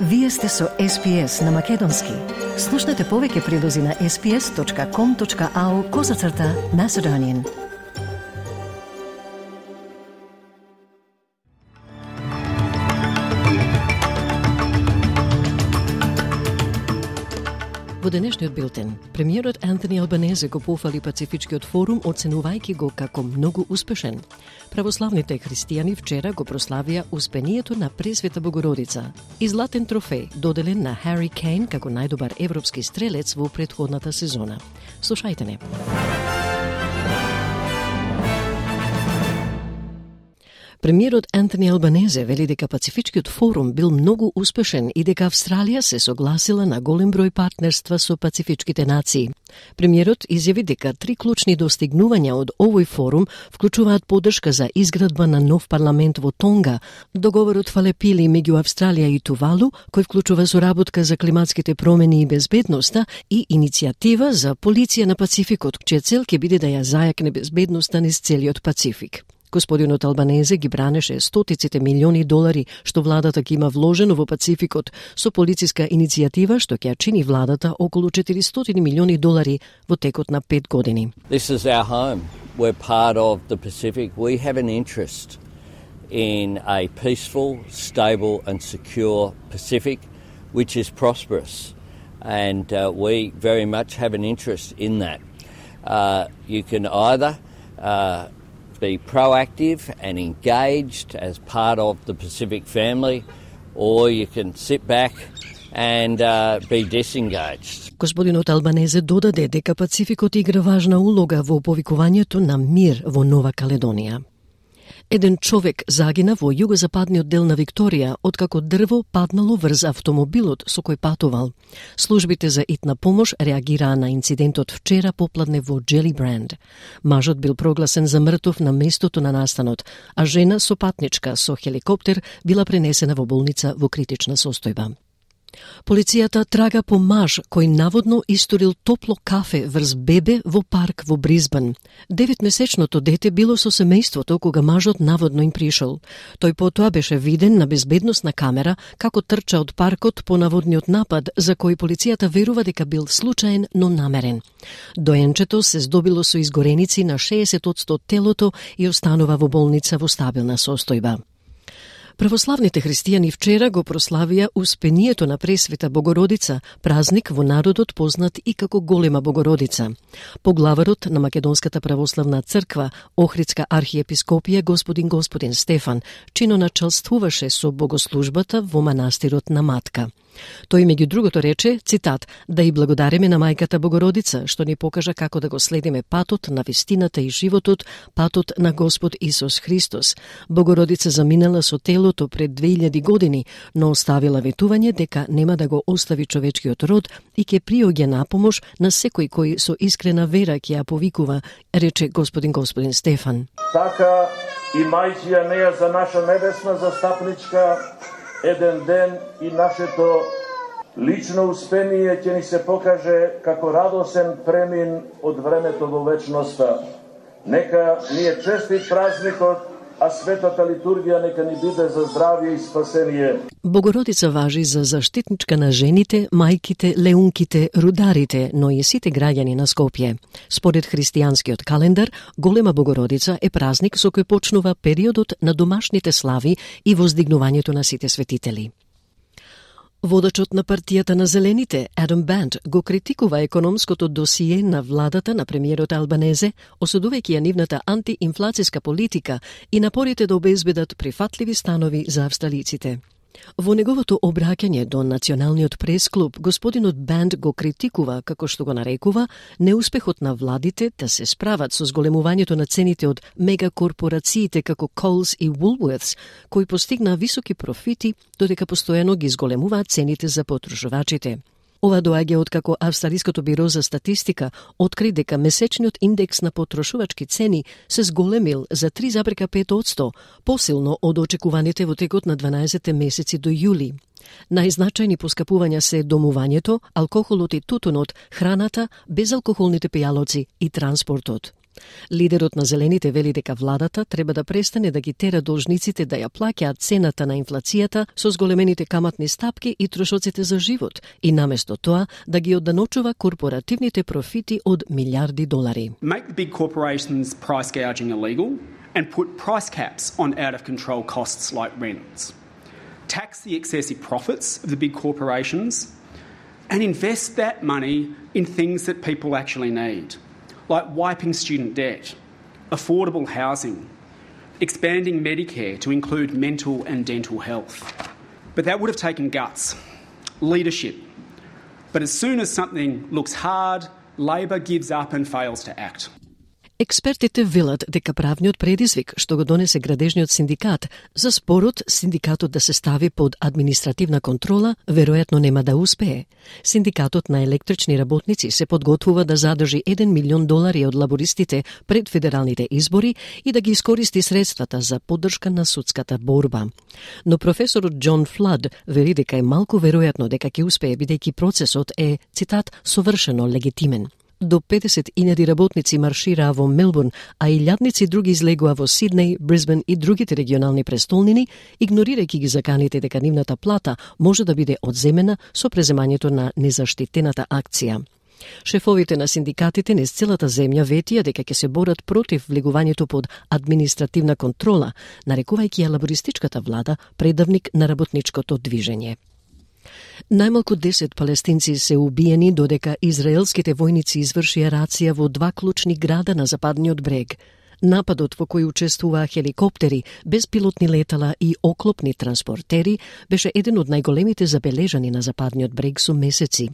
Вие сте со SPS на Македонски. Слушнете повеќе прилози на sps.com.au/Macedonian. Во денешниот билтен, премиерот Антони Албанезе го пофали Пацифичкиот форум, оценувајќи го како многу успешен. Православните христијани вчера го прославија успението на Пресвета Богородица и златен трофеј доделен на Хари Кейн како најдобар европски стрелец во претходната сезона. Слушајте не. Премиерот Антони Албанезе вели дека Пацифичкиот форум бил многу успешен и дека Австралија се согласила на голем број партнерства со пацифичките нации. Премиерот изјави дека 3 клучни достигнувања од овој форум вклучуваат поддршка за изградба на нов парламент во Тонга, договорот Фалепили меѓу Австралија и Тувалу, кој вклучува соработка за климатските промени и безбедноста, и иницијатива за полиција на Пацификот, чија цел ќе биде да ја зајакне безбедноста низ целиот Пацифик. Господинот Албанезе ги бранеше стотиците милиони долари што владата ги има вложено во Пацификот со полициска иницијатива што ќе чини владата околу 400 милиони долари во текот на 5 години. This is our home. We're part of the Pacific. We have an interest in a peaceful, stable and secure Pacific which is prosperous, and we very much have an interest in that. You can either be proactive and engaged as part of the Pacific family, or you can sit back and be disengaged. Господинот Албанезе додаде дека Пацификот игра важна улога во повикувањето на мир во Нова Каледонија. Еден човек загина во југозападниот дел на Викторија откако дрво паднало врз автомобилот со кој патувал. Службите за итна помош реагираа на инцидентот вчера попладне во Джелибранд. Мажот бил прогласен за мртов на местото на настанот, а жена со патничка со хеликоптер била пренесена во болница во критична состојба. Полицијата трага по маж кој наводно истурил топло кафе врз бебе во парк во Бризбен. 9-месечното дете било со семејството кога мажот наводно им пришол. Тој потоа беше виден на безбедносна камера како трча од паркот по наводниот напад, за кој полицијата верува дека бил случаен, но намерен. Доенчето се здобило со изгореници на 60% телото и останува во болница во стабилна состојба. Православните христијани вчера го прославија успението на Пресвета Богородица, празник во народот познат и како Голема Богородица. Поглаварот на Македонската православна црква, Охридска архиепископија господин Стефан, чиноначалствуваше со богослужбата во манастирот на Матка. Тој меѓу другото рече, цитат, да и благодариме на Мајката Богородица, што ни покажа како да го следиме патот на вистината и животот, патот на Господ Исус Христос. Богородица заминала со телото пред 2000 години, но оставила ветување дека нема да го остави човечкиот род и ќе приоѓа на помош на секој кој со искрена вера ќе ја повикува, рече господин Стефан. Така и мајќија неја за наша небесна застапничка, еден ден и нашето лично успение ќе ни се покаже како радосен премин од времето во вечноста. Нека ни е честит празникот, а светата литургија нека ни биде за здравје и спасение. Богородица важи за заштитничка на жените, мајките, леунките, рударите, но и сите граѓани на Скопје. Според христијанскиот календар, Голема Богородица е празник со кој почнува периодот на домашните слави и воздигнувањето на сите светители. Водачот на партијата на Зелените, Адам Банд, го критикува економското досие на владата на премиерот Албанезе, осудувајќи ја нивната антиинфлацијска политика и напорите да обезбедат прифатливи станови за австралиците. Во неговото обраќање до Националниот прес-клуб, господинот Банд го критикува, како што го нарекува, неуспехот на владите да се справат со зголемувањето на цените од мегакорпорациите како Coles и Woolworths, кои постигнаа високи профити, додека постојано ги зголемуваат цените за потрошувачите. Ова доаѓа откако Австралиското биро за статистика откри дека месечниот индекс на потрошувачки цени се зголемил за 3,5%, посилно од очекуваните во текот на 12 месеци до јули. Најзначајни поскапувања се домувањето, алкохолот и тутунот, храната, безалкохолните пијалоци и транспортот. Лидерот на Зелените вели дека владата треба да престане да ги тера должниците да ја плаќаат цената на инфлацијата со зголемените каматни стапки и трошоците за живот и наместо тоа да ги одданочува корпоративните профити од милиарди долари. Make the big corporations price gouging illegal and put price caps on out-of-control costs like rents. Tax the excessive profits of the big corporations and invest that money in things that people actually need, like wiping student debt, affordable housing, expanding Medicare to include mental and dental health. But that would have taken guts, leadership. But as soon as something looks hard, Labor gives up and fails to act. Експертите велат дека правниот предизвик што го донесе градежниот синдикат за спорот синдикатот да се стави под административна контрола веројатно нема да успее. Синдикатот на електрични работници се подготвува да задржи $1 милион од лабористите пред федералните избори и да ги искористи средствата за поддршка на судската борба. Но професорот Џон Флад вели дека е малку веројатно дека ќе успее бидејќи процесот е, цитат, совршено легитимен. До 50.000 работници маршираа во Мелбурн, а илјадници други излегоа во Сиднеј, Брисбен и другите регионални престолнини, игнорирајќи ги заканите дека нивната плата може да биде одземена со преземањето на незаштитената акција. Шефовите на синдикатите низ целата земја ветија дека ќе се борат против влегувањето под административна контрола, нарекувајќи ја лабористичката влада предавник на работничкото движење. Најмалку 10 палестинци се убиени додека израелските војници извршија рација во 2 клучни града на западниот брег. Нападот во кој учествуваа хеликоптери, беспилотни летала и оклопни транспортери беше еден од најголемите забележани на западниот брег со месеци.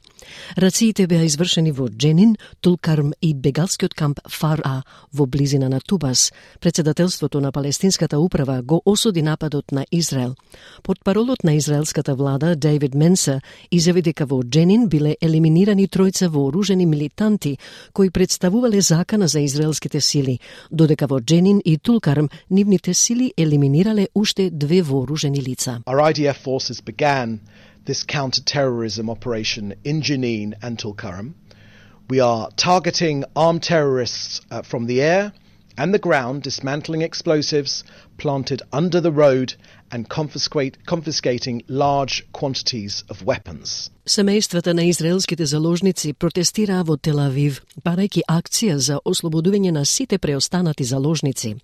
Рациите беа извршени во Дженин, Тулкарм и бегалскиот камп Фар-А во близина на Тубас. Председателството на палестинската управа го осуди нападот на Израел. Портпаролот на израелската влада Дейвид Менса изјави дека во Дженин биле елиминирани тројца вооружени милитанти кои представувале закана за израелските сили, додека во Дженин и Тулкарм нивните сили елиминирале уште 2 вооружени лица. Our IDF forces began this counter-terrorism operation in Jenin and Tulkarm. We are targeting armed terrorists from the air and the ground, dismantling explosives planted under the road and confiscating large quantities of weapons. Семејствата на израелските заложници протестираа во Тел Авив, барајќи акција за ослободување на сите преостанати заложници.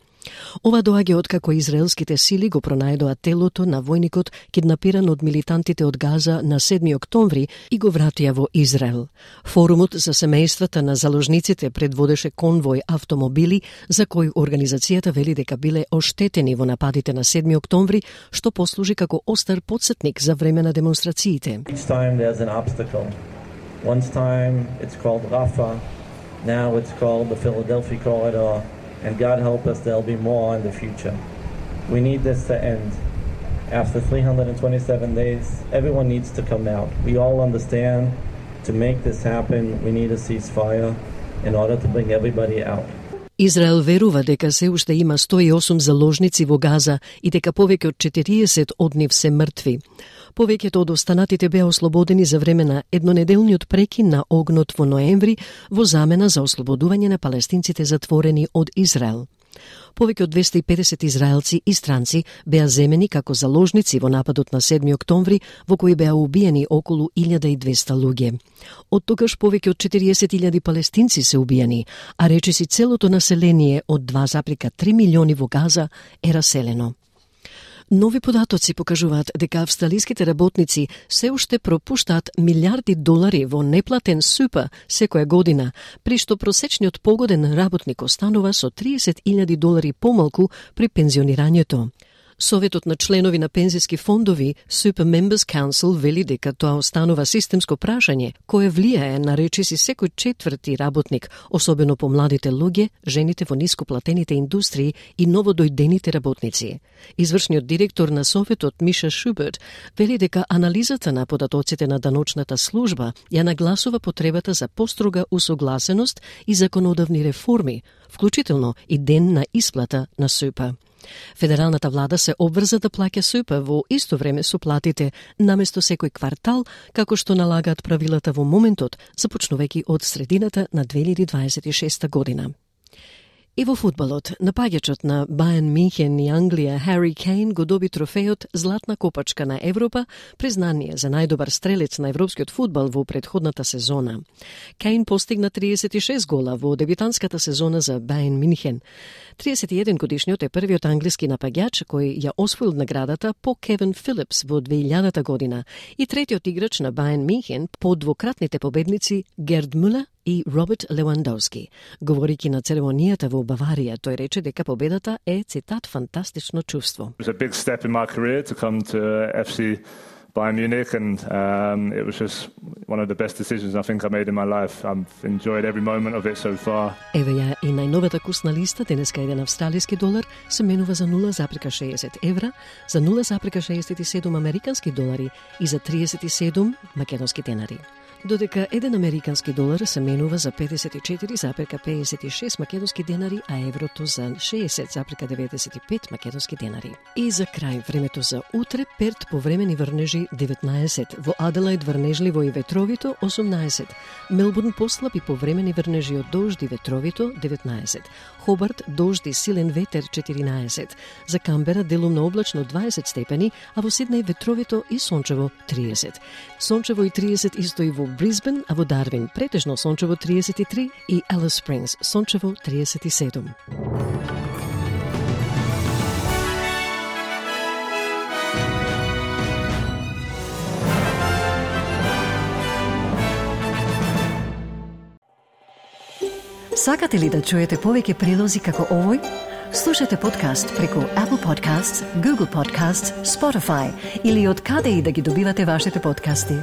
Ова доаѓа откако израелските сили го пронајдоа телото на војникот киднапиран од милитантите од Газа на 7 октомври и го вратија во Израел. Форумот за семејствата на заложниците предводеше конвој автомобили за кои организацијата вели дека биле оштетени во нападите на 7 октомври, што послужи како остар потсетник за време на демонстрациите. Each time there's an obstacle. One time it's called Rafah, now it's called the Philadelphia corridor. And God help us, there'll be more in the future. We need this to end. After 327 days, everyone needs to come out. We all understand to make this happen, we need a ceasefire in order to bring everybody out. Израел верува дека се уште има 108 заложници во Газа и дека повеќе од 40 од нив се мртви. Повеќето од останатите беа ослободени за време на еднонеделниот прекин на огнот во ноември во замена за ослободување на палестинците затворени од Израел. Повеќе од 250 израелци и странци беа земени како заложници во нападот на 7 октомври, во кој беа убиени околу 1200 луѓе. Од тогаш повеќе од 40.000 палестинци се убиени, а речиси целото население од 2,3 милиони во Газа е раселено. Нови податоци покажуваат дека австралиските работници се уште пропуштаат милиарди долари во неплатен СУП секоја година, при што просечниот погоден работник останува со $30,000 помалку при пензионирањето. Советот на членови на пензиски фондови, Super Members Council, вели дека тоа останува системско прашање, кое влијае на речиси секој четврти работник, особено по младите луѓе, жените во нископлатените индустрии и новодојдените работници. Извршниот директор на Советот, Миша Шуберт, вели дека анализата на податоците на даночната служба ја нагласува потребата за построга усогласеност и законодавни реформи, вклучително и ден на исплата на СУП. Федералната влада се обврза да плаќа СУП во исто време со платите, наместо секој квартал, како што налагаат правилата во моментот, започнувајќи од средината на 2026 година. И во фудбалот, напаѓачот на Бајерн Мюнхен и Англија Хари Кейн го доби трофејот Златна копачка на Европа, признание за најдобар стрелец на европскиот фудбал во претходната сезона. Кейн постигна 36 гола во дебютантската сезона за Бајерн Мюнхен. 31 годишниот е првиот англиски напаѓач кој ја освоил наградата по Кевин Филипс во 2000 година и третиот играч на Бајерн Мюнхен по двократните победници Герд Мулер и Роберт Левандовски. Говорики на церемонијата во Баварија, тој рече дека победата е, цитат, фантастично чувство. It was a big step in my career to come to FC Bayern Munich, and it was just one of the best decisions I think I made in my life. I've enjoyed every moment of it so far. Еве ја и најновата курсна листа, денеска еден австралиски долар се менува за 0,60 евра, за 0,67 американски долари и за 37 македонски денари. Додека еден американски долар се менува за 54,56 македонски денари, а еврото за 60,95 македонски денари. И за крај, времето за утре: Перт повремени врнежи 19, во Аделаид врнежливо и ветровито 18, Мелбурн послаби повремени врнежи од дожд и ветровито 19, Хобарт дожд и силен ветер 14, за Камбера делумно облачно 20 степени, а во Сиднеј ветровито и сончево 30. Сончево и 30 исто и во Брисбен, а во Дарвин претежно сончево 33 и Алис Спрингс сончево 37. Сакате ли да чуете повеќе прилози како овој? Слушате подкаст преку Apple Podcasts, Google Podcasts, Spotify или од каде и да ги добивате вашите подкасти.